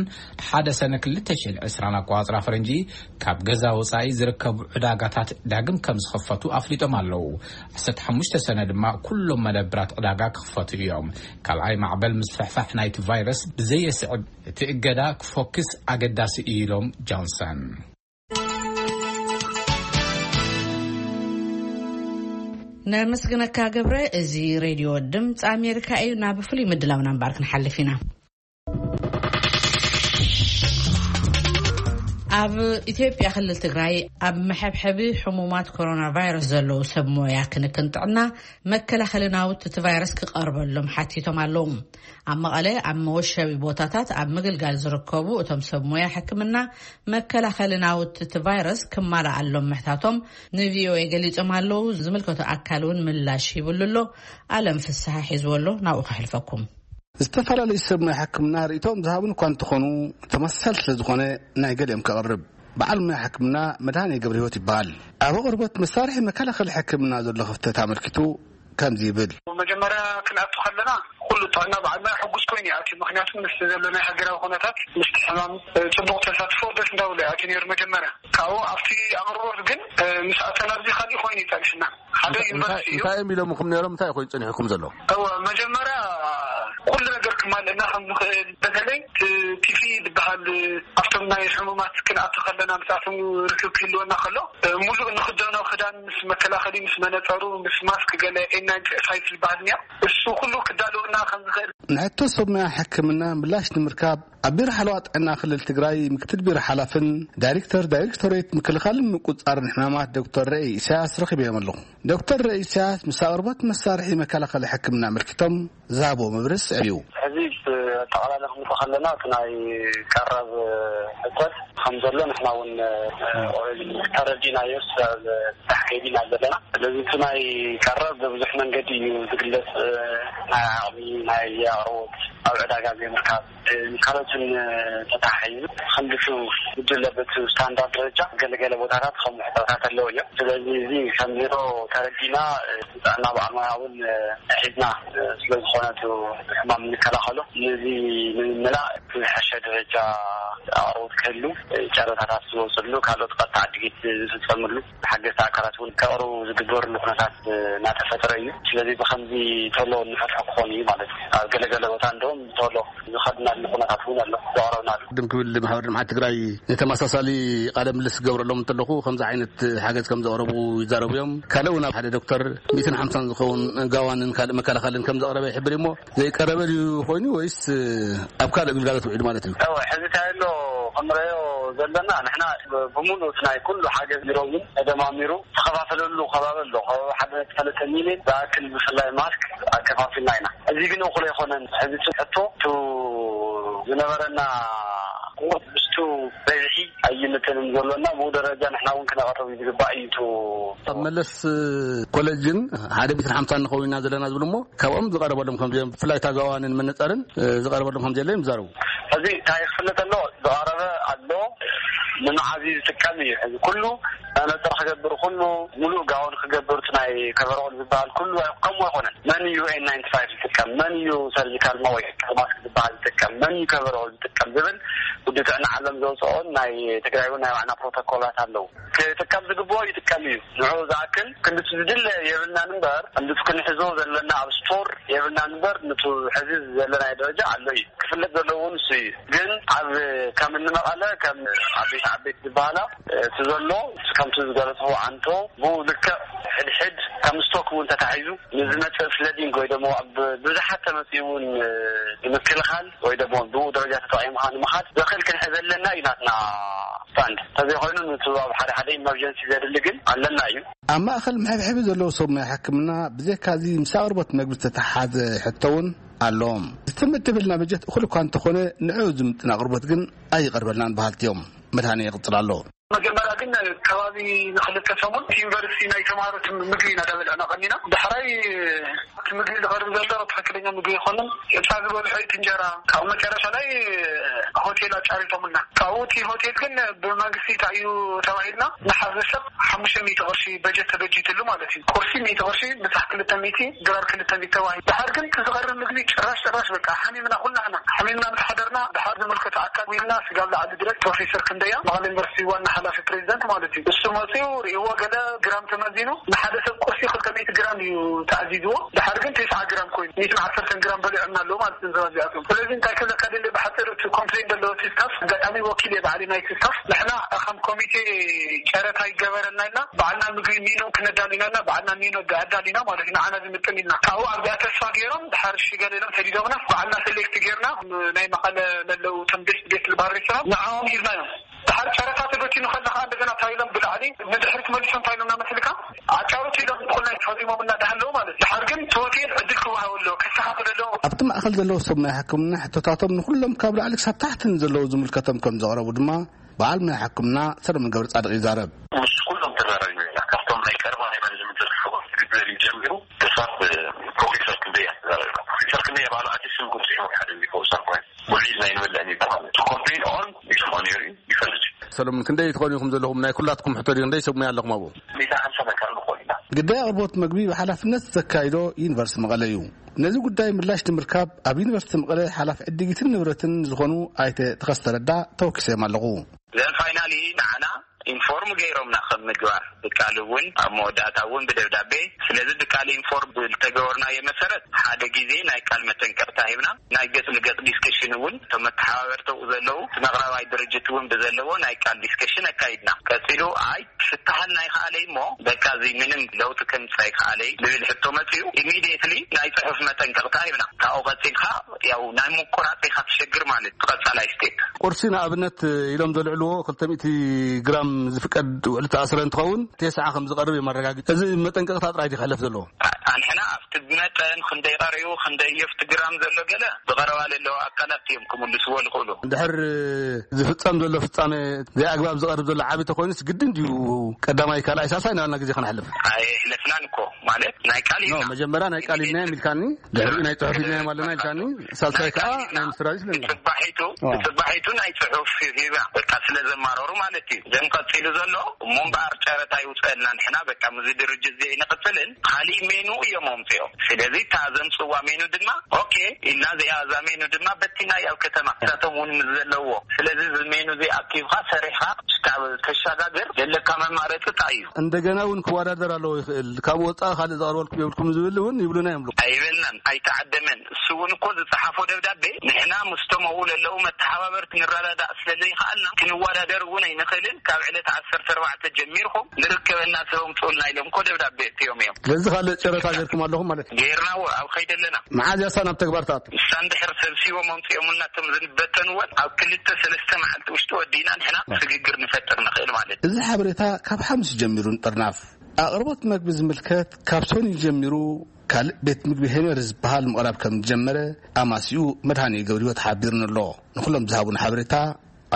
ሓደ ሰነ ክልተ ሽሕን ዕስራን ኣቋጽራ ፈረንጂ ካብ ገዛ ወጻኢ ዝርከቡ ዕዳጋታት ዳግም ከም ዝኸፈቱ ኣፍሊጦም ኣለዉ። ዓሰርተ ሓሙሽተ ሰነ ድማ ኩሎም መደብራት ዕዳጋ ክኽፈቱ እዮም። ካልኣይ ማዕበል ምስፍሕፋሕ ናይቲ ቫይረስ ብዘየስዕብ እቲ እገዳ ክፎክስ ኣገዳሲ እዩ ኢሎም ጆንሰን። ነመስግነካ ገብረ። እዚ ሬድዮ ድምፂ ኣሜሪካ እዩ። ናብ ፍሉይ ምድላውና እምበኣር ክንሓልፍ ኢና። ኣብ ኢትዮጵያ ክልል ትግራይ ኣብ መሐብሐቢ ሕሙማት ኮሮና ቫይረስ ዘለዉ ሰብ ሞያ ክንክን ጥዕና መከላኸሊ ናውቲ እቲ ቫይረስ ክቐርበሎም ሓቲቶም ኣለዉ። ኣብ መቐለ ኣብ መወሸቢ ቦታታት ኣብ ምግልጋል ዝርከቡ እቶም ሰብ ሞያ ሕክምና መከላኸሊ ናውቲ እቲ ቫይረስ ክማልኣሎም ምሕታቶም ንቪኦኤ ገሊጾም ኣለዉ። ዝምልከቶ ኣካል እውን ምላሽ ሂብሉ ኣሎ። ኣለም ፍስሓ ሒዝዎ ኣሎ። ናብኡ ከሕልፈኩም። ዝተፈላለዩ ሰብ ሞያ ሕክምና ርእይቶኦም ዝሃቡን እኳ እንተኾኑ፣ ተመሳሳሊ ስለ ዝኾነ ናይ ገሊኦም ከቕርብ። በዓል ሞያ ሕክምና መድሃኔ ገብረ ህይወት ይበሃል። ኣብ ኣቕርቦት መሳርሒ መከላኸሊ ሕክምና ዘሎ ክፍተት ኣመልኪቱ ከምዚ ይብል። መጀመርያ ክንኣቱ ከለና ኩሉ ጥዕና በዓል ሞያ ሕጉስ ኮይኑ ይኣትዩ። ምኽንያቱ ምስ ዘሎ ናይ ሃገራዊ ኩነታት ምስቲ ሕማም ጽቡቕ ተሳትፎ ደስ እንዳበሎ ይኣትዩ ነይሩ መጀመርያ። ካብኡ ኣብቲ ኣቕርቦት ግን ምስ ኣተና ኣብዚ ካሊእ ኮይኑ ይጸንሕና። ሓደ እንታይ ዩኒቨርሲቲ እዩ። እንታይ እዮም ኢሎምኹም ነይሮም? እንታይ ኮይኑ ጸኒሕኩም ዘሎ? እወ፣ መጀመርያ ኩሉ ነገር ክማልእና ከም ዝኽእል፣ በተለይ እቲ ፒ ፒ ኢ ዝበሃል ኣብቶም ናይ ሕሙማት ክንኣቱ ከለና ምስኣቶም ርክብ ክህልወና ከሎ፣ ሙሉእ ንኽደኖ ክዳን ምስ መከላኸሊ፣ ምስ መነጸሩ፣ ምስ ማስክ፣ ገለ ኤን ናይንቲ ፋይቭ ዝበሃል እኒኦ፣ እሱ ኩሉ ክዳለወና ከም ዝኽእል። ንሕቶ ሰብ ሞያ ሕክምና ምላሽ ንምርካብ ኣብ ቢሮ ሓለዋ ጥዕና ክልል ትግራይ ምክትል ቢሮ ሓላፍን ዳይሬክተር ዳይሬክቶሬት ምክልኻልን ምቁፅፃርን ሕማማት ዶክተር ረኢ ኢሳያስ ረኺበዮም ኣለኹ። ዶክተር ረኢ ኢሳያስ ምስ ኣቕርቦት መሳርሒ መከላኸሊ ሕክምና ኣመልኪቶም ዝሃብዎ መብርሂ ስዕብ እዩ። ሕዚ ኣጠቓላሊ ክንሪኦ ከለና እቲ ናይ ቀረብ ሕተት ከም ዘሎ ንሕና እውን ኦረዲ ተረዲናዮ፣ ስራሕ ከይዲና ዘለና። ስለዚ እቲ ናይ ቀረብ በብዙሕ መንገዲ እዩ ዝግለፅ። ናይ ዓቕሚ፣ ናይ ኣቕርቦት፣ ኣብ ዕዳጋ ዘይምርካብ፣ ካልኦትን ተተሓሒዙ ክንድቱ ጉድለ በቲ ስታንዳርድ ደረጃ ገለገለ ቦታታት ከም ሕፅረታት ኣለዎ እዮም። ስለዚ እዚ ከም ቢሮ ተረዲና፣ ጥዕና በዓል ሞያ እውን ሒዝና ስለ ዝኾነ እቲ ሕማም እንከላኸሎ፣ ነዚ ንምምላእ ዝሐሸ ደረጃ ኣቕርቦት ክህሉ፣ ጨረታታት ዝወፅሉ፣ ካልኦት ቀጥታ ዕድጊት ዝፍፀምሉ፣ ሓገዝቲ ኣካላት እውን ከቕርቡ ዝግበርሉ ኩነታት እናተፈጠረ እዩ። ስለዚ ብኸምዚ ቶሎ እንፈትሖ ክኾን እዩ ማለት እዩ። ኣብ ገለገለ ቦታ እንደውም ቶሎ ዝኸድናሉ ኩነታት እውን ኣሎ፣ ዘቕረብናሉ። ቅድም ክብል ማሕበር ልምዓት ትግራይ ንተመሳሳሊ ቃለ ምልልስ ክገብረሎም እንተለኹ፣ ከምዚ ዓይነት ሓገዝ ከም ዘቕረቡ ይዛረቡ እዮም። ካልእ እውን ኣብ ሓደ ዶክተር ሚእትን ሓምሳን ዝኸውን ጋዋንን ካልእ መከላኸልን ከም ዘቕረበ ይሕብር እሞ፣ ዘይቀረበ ድዩ ኮይኑ ወይስ ኣብ ካልእ ግልጋሎት ውዒሉ ማለት እዩ? እወ፣ ሕዚ እንታይ ኣሎ ክንረዮ ዘለና፣ ንሕና ብምሉእ እቲ ናይ ኩሉ ሓገዝ ቢሮ እውን ተደማሚሩ ተኸፋፈለሉ ከባቢ ኣሎ። ከባቢ ሓደ ነጥቢ ሰለስተ ሚልዮን ዝኣክል ብፍላይ ማስክ ኣከፋፊልና ኢና። እዚ ግን እኹል ኣይኮነን። ሕዚ እቲ ሕቶ እቲ ዝነበረና ቁሩብ ምስቱ በዝሒ ኣይምጥንን ዘሎና፣ ብኡ ደረጃ ንሕና እውን ክነቐርብ ዝግባእ እዩ። እቲ ኣብ መለስ ኮሌጅን ሓደ ሚእትን ሓምሳን ንኸውን ኢና ዘለና ዝብል እሞ፣ ካብኦም ዝቐረበሎም ከም ዚኦም፣ ብፍላይ እታ ጋዋንን መነጸርን፣ እ፣ ዝቐረበሎም ከም ዘየለ እዮም ዝዛረቡ። ሕዚ እንታይ ክፍለጥ ኣለዎ? ዝቐረበ ኣሎ፣ ንመዓዝ እዩ ዝጥቀም እዩ። ሕዚ ኩሉ መነጽር ክገብር፣ ኩሉ ሙሉእ ጋውን ክገብር፣ እቲ ናይ ከቨሮል ዝበሃል ኩሉ ከምኡ ኣይኮነን። መን እዩ ኤን ናይንቲ ፋይቭ ዝጥቀም? መን እዩ ሰርጂካል ማስክ ዝበሃል ዝጥቀም? መን እዩ ከቨሮል ዝጥቀም? ዝብል ውድብ ጥዕና ዓለም ዘውፅኦን ናይ ትግራይ እውን ናይ ባዕልና ፕሮቶኮላት ኣለዉ። ክጥቀም ዝግብኦ ይጥቀም እዩ። ንዑ ዝኣክል ክንድቲ ዝድለ የብልናን እምበር፣ ክንድቲ ክንሕዞ ዘለና ኣብ ስቶር የብልናን እምበር፣ ንቱ ሕዚ ዘለናዮ ደረጃ ኣሎ እዩ። ክፍለጥ ዘለዎ ንሱ እዩ። ግን ኣብ ከም እኒ መቐለ፣ ከም ዓበይቲ ዓበይቲ ዝበሃላ፣ እቲ ዘሎ ከም እቲ ዝገለጽዎ ዓንቶ ብኡ ልክዕ ሕድሕድ ከም ስቶክ እውን ተታሒዙ ንዝመጽእ ፍለዲንግ ወይ ደሞ ኣብ ብዙሓት ተመጽኡ እውን ንምክልኻል ወይ ደሞ ብኡ ደረጃ ተጠቒምካ ንምኻድ ዘኽእል ክንሕዘለና እዩ ናትና ስታንድ። እንተዘይኮይኑ፣ ንቱ ኣብ ሓደ ሓደ ኢመርጀንሲ ዘድሊ ግን ኣለና እዩ። ኣብ ማእኸል መሐብሐቢ ዘለዉ ሰብ ሞያ ሕክምና ብዘካዚ ምስ ኣቕርቦት መግቢ ዝተተሓሓዘ ሕቶ እውን ኣለዎም። ዝተመደበልና በጀት እኹል እኳ እንተኾነ፣ ንዕኡ ዝምጥን ኣቕርቦት ግን ኣይቐርበልናን በሃልቲ እዮም። መድሃኔ ይቕጽል ኣሎ። መጀመርያ ግን ከባቢ ንክልተ ሰሙን እቲ ዩኒቨርሲቲ ናይ ተማሃሮ ምግቢ ኢና ዳበልዕና ቀኒና። ዳሕራይ እቲ ምግቢ ዝቐርብ ዘሎ ትኽክለኛ ምግቢ ኣይኮነን። ጭብጣ ዝበልሖ እቲ እንጀራ፣ ካብኡ መጨረሻ ላይ ሆቴል ኣጫሪቶምልና። ካብኡ እቲ ሆቴል ግን ብመንግስቲ እንታይ እዩ ተባሂልና፣ ንሓደ ሰብ ሓሙሽተ ሚእቲ ቅርሺ በጀት ተበጂትሉ ማለት እዩ። ቁርሲ ሚእቲ ቅርሺ፣ ምሳሕ ክልተ ሚእቲ፣ ድራር ክልተ ሚእቲ ተባሂሉ። ድሓር ግን እቲ ዝቐርብ ምግቢ ጭራሽ ጭራሽ በቃ ሓሚምና፣ ኩላህና ሓሚምና ምስ ሓደርና፣ ድሓር ዝምልከቶ ኣካል ውዒልና፣ ስጋብ ላዕሊ ድረስ ፕሮፌሰር ክንደያ፣ መቐለ ዩኒቨርሲቲ ዋና ሓላፊ ፕሬዚደንት ማለት እዩ፣ እሱ መፂኡ ርእይዎ፣ ገለ ግራም ተመዚኑ፣ ንሓደ ሰብ ቁርሲ ክልተ ሚእቲ ግራም እዩ ተኣዚዝዎ። ድሓር ግን ተስዓ ግራም ኮይኑ፣ ሚእትን ዓሰርተን ግራም በሊዖምና ኣለዉ ማለት እዩ፣ ሰባት እዚኣቶም። ስለዚ እንታይ ክብለካ ደሊ፣ ብሓፂሩ እቲ ኮምፕሌን ዘለዎ እቲ ስታፍ፣ ኣጋጣሚ ወኪል እየ ባዕሊ ናይቲ ስታፍ፣ ንሕና ከም ኮሚቴ ጨረታ ይገበረልና ኢልና፣ ባዕልና ምግቢ ሚኑ ክነዳሉ ኢና ኢልና፣ ባዕልና ሚኑ ኣዳሊና ማለት እዩ፣ ንዓና ዝምጥን ኢልና። ካብኡ ኣብዚኣ ተስፋ ገይሮም፣ ድሓር እሺ ገለ ኢሎም ሰዲዶምና፣ ባዕልና ሴሌክት ገይርና፣ ናይ መቐለ ለለዉ እቶም ቤስት ቤስት ዝበሃል ሬስቶራንት ንዓኦም ሂብናዮም። ድሓር ጨረታ ተበቲኑ ከለኻ እንደገና እንታይ ኢሎም ብላዕሊ ንድሕሪት መሊሶም እንታይ ኢሎም እናመስልካ፣ ኣጫውቱ ኢሎም ብኩልና ፈሪሞምና እንዳሃለዉ ማለት እዩ። ድሓር ግን እቲ ሆቴል ዕድል ክወሃቦ ኣለዎ፣ ከስተኻኽል ኣለዎ። ኣብቲ ማእኸል ዘለዉ ሰብ ናይ ሕክምና ሕቶታቶም ንኹሎም ካብ ላዕሊ ክሳብ ታሕቲ ንዘለዉ ዝምልከቶም ከም ዘቕረቡ ድማ በዓል ናይ ሕክምና ሰለሙን ገብረ ጻድቕ ይዛረብ። ምስ ኩሎም ተዛራቢና ኢና። ካብቶም ናይ ቀረባ ናይ ማኔጅመንት ዝርሕቦ ዝግበር እዩ ጀሚሩ ክሳብ ፕሮፌሰር ክንደያ ተዛራቢና። ፕሮፌሰር ክንደያ ባዕሉ ኣቲስን ጉብዚሑ ሓደ ሪፖርት ሰርኮ ውዒልና ይንበልዕ ነይሩ ማለት እዩ። ኮምፕሌን ኦን ይሰምዖ ነይሩ እዩ፣ ይፈልጥ እዩ። ሰለሙን፣ ክንደይ ትኾኑ ኢኹም ዘለኹም? ናይ ኩላትኩም ሕቶ ድዩ? ክንደይ ሰብ ሙያ ኣለኹም ኣብኡ? ሚእቲ ሓምሳ መካን ንኾን ኢና። ግዳይ ኣቕርቦት መግቢ ብሓላፍነት ዘካይዶ ዩኒቨርሲቲ መቐለ እዩ። ነዚ ጉዳይ ምላሽ ንምርካብ ኣብ ዩኒቨርሲቲ መቐለ ሓላፊ ዕድጊትን ንብረትን ዝኾኑ ኣይተ ተኸስተ ረዳ ተወኪሰዮም ኣለኹ። ዘን ፋይናሊ ንዓና ኢንፎርም ገይሮምና ከም ምግባር፣ ብቃል እውን ኣብ መወዳእታ እውን ብደብዳቤ። ስለዚ ብቃል ኢንፎርም ብልተገበርናዮ መሰረት ሓደ ግዜ ናይ ቃል መጠንቀቕታ ሂብና። ናይ ገጽ ንገጽ ዲስከሽን እውን እቶም መተሓባበርተኡ ዘለዉ እቲ መቕረባይ ድርጅት እውን ብዘለዎ ናይ ቃል ዲስከሽን ኣካይድና። ቀጺሉ ኣይ ክፍትሓልና ይኽኣለይ እሞ በቃ እዚ ምንም ለውጢ ከምጽእ ኣይክኣለይ ዝብል ሕቶ መጺኡ፣ ኢሚድየትሊ ናይ ጽሑፍ መጠንቀቕታ ሂብና። ካብኡ ቀጺልካ ያው ናይ ምቁራጽ ኢኻ ትሸግር ማለት ቀጻላይ ስቴፕ። ቁርሲ ንኣብነት ኢሎም ዘልዕልዎ ክልተ ሚእቲ ግራም ዝፍቀድ ውዕሊ ተኣስረ እንትኸውን፣ ተስዓ ከም ዝቐርብ እዮም ኣረጋጊጹ። እዚ መጠንቀቕታ ጥራይ ድዩ ክሕለፍ ዘለዎ? ኣንሕና ኣብቲ መጠን ክንደይ ቀሪቡ፣ ክንደይ ኣብቲ ግራም ዘሎ ገለ ብቐረባ ለለዉ ኣካላት እዮም ክምልስዎ ዝኽእሉ። እንድሕር ዝፍጸም ዘሎ ፍጻሜ ዘይኣግባብ ዝቐርብ ዘሎ ዓቢ ተኾይኑስ ግድን ድዩ ቀዳማይ፣ ካልኣይ፣ ሳልሳይ እናበልና ግዜ ከነሕልፍ? ኣየሕለፍናን እኮ። ማለት ናይ ቃል ኖ፣ ኢልና። መጀመርያ ናይ ቃል ኢልናዮም ኢልካኒ፣ ድሕሪኡ ናይ ጽሑፍ ኢልናዮም ኣለና ኢልካኒ፣ ሳልሳይ ናይ ከዓ ቃል ኢልና። ናይ ምስራዝ ኢልናዮም። ብጽባሒቱ፣ ኣዎ። ብጽባሒቱ ናይ ጽሑፍ ሂባ በቃ ስለ ዘማረሩ ማለት እዩ። ዘም ቀጺሉ ዘሎ እሞ እምበኣር ጨረታ ይውጸልና፣ ንሕና በቃ ምዚ ድርጅት እዚ ኣይንቕጽልን፣ ካሊእ ሜኑ እዮም ኣምጽኦም። ስለዚ እታ ዘምጽዋ ሜኑ ድማ ኦኬ ኢልና፣ እዚኣ እዛ ሜኑ ድማ በቲና ኣብ ከተማ እሳቶም እውን ምስ ዘለዎ። ስለዚ እዚ ሜኑ እዚ ኣኪብካ ሰሪሕካ ክሳብ ተሸጋግር ዘለካ መማረፂ እንታይ እዩ? እንደገና እውን ክወዳደር ኣለዎ ይኽእል፣ ካብ ወፃኢ ካልእ ዘቕርበልኩም የብልኩም ዝብል እውን ይብሉና እዮም። ኣይበልናን፣ ኣይተዓደመን። እሱ እውን እኮ ዝፀሓፎ ደብዳቤ ንሕና ምስቶም ኣብኡ ለለዉ መተሓባበርቲ ንረዳዳእ ስለ ዘይከኣልና ክንወዳደር እውን ኣይንኽእልን። ካብ ዕለት ዓሰርተ ኣርባዕተ ጀሚርኩም ንርከበና ሰብ ኣምፅኡልና ኢሎም እኮ ደብዳቤ እትዮም እዮም። ስለዚ ካልእ ጨረታ ገይርኩም ኣለኹም ማለት እዩ? ገይርና፣ ኣብ ከይዲ ኣለና። መዓዝ እያ እሳ ናብ ተግባር ትኣቱ? እሳ እንድሕር ሰብሲቦም ኣምፂኦምልና እቶም ዝንበተንዎን ኣብ ክልተ ሰለስተ መዓልቲ ውሽጢ ወዲእና ንሕና ስግግር ንፈጥር ንኽእል ማለት እዩ። እዚ ሓበሬታ ካብ ሓሙስ ጀሚሩ ንጥርናፍ። ኣቕርቦት መግቢ ዝምልከት ካብ ሰኑይ ጀሚሩ ካልእ ቤት ምግቢ ሄነሪ ዝበሃል ምቕራብ ከም ዝጀመረ ኣማሲኡ መድሃኔ ገብረህይወት ሓቢሩኒ ኣሎ። ንኹሎም ዝሃቡን ሓበሬታ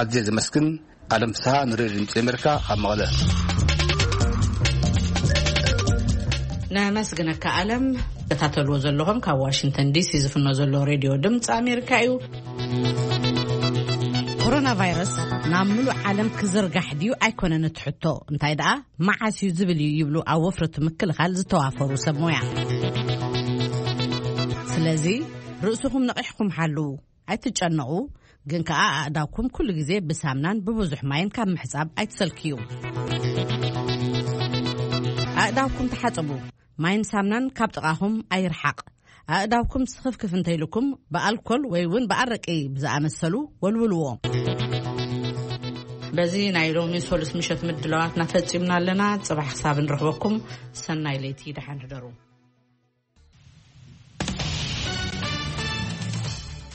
ኣዝየ ዘመስግን። ኣለም ፍስሃ ንሬድዮ ድምፂ ኣሜሪካ ካብ መቐለ። ነመስግነካ ኣለም። ተታተልዎ ዘለኹም ካብ ዋሽንግተን ዲሲ ዝፍኖ ዘሎ ሬድዮ ድምፂ ኣሜሪካ እዩ። ኮሮና ቫይረስ ናብ ምሉእ ዓለም ክዝርጋሕ ድዩ ኣይኮነን እቲ ሕቶ፣ እንታይ ደኣ መዓስ እዩ ዝብል እዩ ይብሉ ኣብ ወፍሪ እቲ ምክልኻል ዝተዋፈሩ ሰብ ሞያ። ስለዚ ርእስኹም ነቒሕኩም ሓልዉ። ኣይትጨነቑ፣ ግን ከኣ ኣእዳውኩም ኩሉ ግዜ ብሳምናን ብብዙሕ ማይን ካብ ምሕጻብ ኣይትሰልክዩ። ኣእዳውኩም ተሓጸቡ፣ ማይን ሳምናን ካብ ጥቓኹም ኣይርሓቕ። ኣእዳውኩም ስኽፍክፍ እንተኢሉኩም ብኣልኮል ወይ እውን ብኣረቂ ብዝኣመሰሉ ወልውልዎ። በዚ ናይ ሎሚ ሶሉስ ምሸት ምድላዋትና ፈጺምና ኣለና። ጽባሕ ክሳብ ንረኽበኩም፣ ሰናይ ለይቲ፣ ደሓን ሕደሩ።